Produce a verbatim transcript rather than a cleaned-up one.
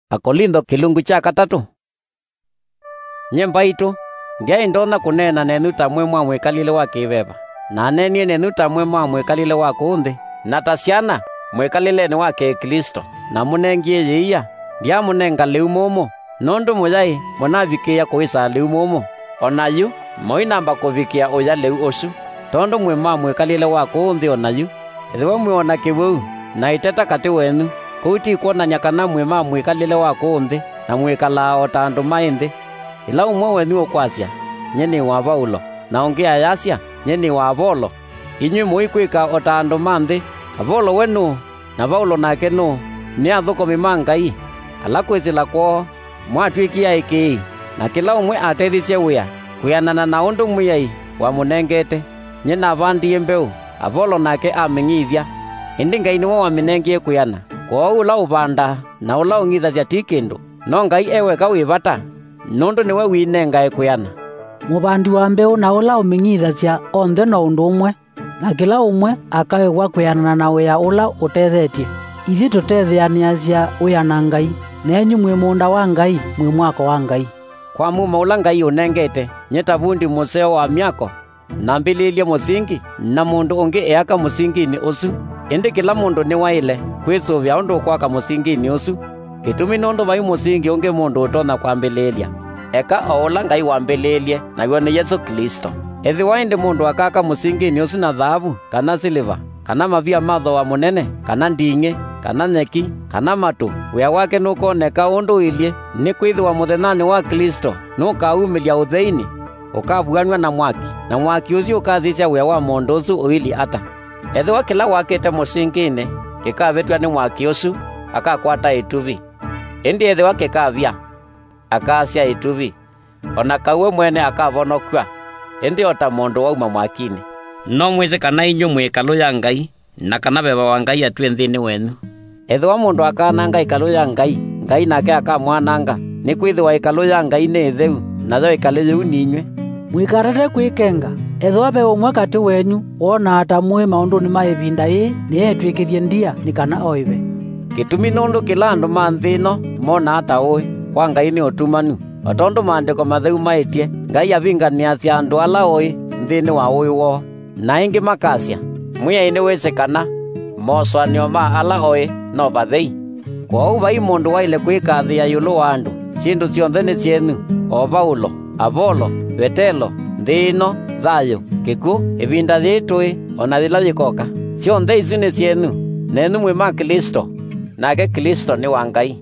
Akolintho kĩlungu kya katatũ. Nyie mbaitũ, ndyaĩ ndonya kũneena nenyu ta mwĩ mwa mwĩkalĩle wa kĩ-veva, naneenie nenyu ta mwĩ mwa mwĩkalĩle wa kũũ nthĩ, na ta syana mwĩkalĩlenĩ wa Kĩklĩsto, namũnengie yĩia, ndyamũnenga lĩu mũmũ, nũndũ mũyaĩ mũnavikĩĩa kũĩsaa lĩu mũmũ. O na yu, mũinamba kũvikĩa ũya lĩu ũsu, tondũ mwĩ ma mwĩkalĩle wa kũũ nthĩ o na yu. Ethĩwa mwĩona kĩwĩu na ĩteta katĩ wenyu, kũu ti kwonany'a kana mwĩ ma mwĩkalĩle wa kũũ nthĩ na mwĩkalaa o ta andũ maĩ nthĩ. Ĩla ũmwe wenyu ũkwasya, "Nyie nĩ wa Vaulo," na ũngĩ ayasya, "Nyie nĩ wa Avolo," inyw'ĩ mũikwĩka o ta andũ ma nthĩ. Avolo we nũũ? Na Vaulo nake nũũ? Nĩ athũkũmi ma Ngai, ala kwĩsĩla kwoo mwatw'ĩkie aĩkĩĩi, na kĩla ũmwe atethisye wĩa kwĩanana na ũndũ Mwĩai wamũnengete. Nyie navandie mbeũ, Avolo nake amĩng'ithya, ĩndĩ Ngai nĩwe wamĩnengie kwĩana. Kwoou ũla ũvandaa na ũla ũng'ithasya ti kĩndũ, no Ngai e weka wĩ vata, nũndũ nĩwe wĩnengae kwĩana. Mũvandi wa mbeũ na ũla ũmĩng'ithasya onthe no ũndũ ũmwe, na kĩla ũmwe akaĩwa kwĩanana na wĩa ũla ũtethetye. Ithyĩ tũtetheanĩasya wĩa na Ngai, nenyu mwĩ mũũnda wa Ngai, mwĩ mwako wa Ngai. Kwa mumo ũla Ngai ũnengete, nyie ta vundi mũseo wa myako, nambĩlĩĩlye mũsingi, na mũndũ ũngĩ eaka mũsinginĩ ũsu. Ĩndĩ kĩla mũndũ nĩwaĩle kwĩsũvĩa ũndũ ũkwaka mũsinginĩ ũsu. Kĩtumi nũndũ vai mũsingi ũngĩ mũndũ ũtonya kwambĩlĩĩlya, eka o ũla Ngai wambĩlĩĩlye, naw'o nĩ Yesũ Klĩsto. Ethĩwa ĩndĩ mũndũ akaka mũsinginĩ ũsu na thaavu, kana silĩva, kana mavia ma thooa mũnene, kana nding'ĩ, kana nyeki, kana matũ, wĩa wake nũkoneka ũndũ ũilyĩ, nĩkwĩthĩwa mũthenyanĩ wa Klĩsto nũkaumĩlya ũtheinĩ, ũkavuanw'a na mwaki, na mwaki ũsu ũkasisya wĩa wa mũndũ ũsu ũilyĩ ata. Ethĩwa kĩla wakĩte mũsinginĩ kĩkavĩtw'a nĩ mwaki ũsu, akakwata ĩtuvi, ĩndĩ ethĩwa kĩkavya, akaasya ĩtuvi, o na kau we mwene akavonokw'a, ĩndĩ o ta mũndũ wauma mwakinĩ. No mwĩsĩ kana inyw'ĩ mwĩ ĩkalũ ya Ngai, na kana veva wa Ngai atwĩe nthĩnĩ wenyu. Ethĩwa mũndũ akaananga ĩkalũ ya Ngai, Ngai nake akamwananga, nĩkwĩthĩwa ĩkalũ ya Ngai nĩ ĩtheu, nayo ĩkalũ yĩu ninyw'ĩ. Mũikatate kwĩkenga. Ethĩwa ve ũmwe katĩ wenyu wonaa ta mũĩ maũndũnĩ ma ĩvinda yĩĩ, nĩetw'ĩkĩthye ndia nĩ kana oĩve. Kĩtumi nũndũ kĩla andũ ma nthĩ ĩno monaa ta ũĩ, kwa Ngai nĩ ũtumanu. O tondũ Maandĩko Matheu maĩtye, Ngai avinganĩasya andũ ala oĩ nthĩnĩ wa ũĩ woo. Na ĩngĩ makasya, "Mwĩai nĩwĩsĩ kana mosũanĩo ma ala oĩ no vathei." Kwoou vai mũndũ waĩle kwĩkathĩĩa ĩũlũ wa andũ. Syĩndũ syonthe nĩ syenyu, o Vaulo, Avolo, Vetelo, nthĩ ĩno, thayũ, kĩkw'ũ, ĩvinda yĩĩ tũĩ, o na yĩla yĩkoka. Syonthe isu nĩ syenyu, nenyu mwĩ ma Klĩsto, nake Klĩsto nĩ wa Ngai.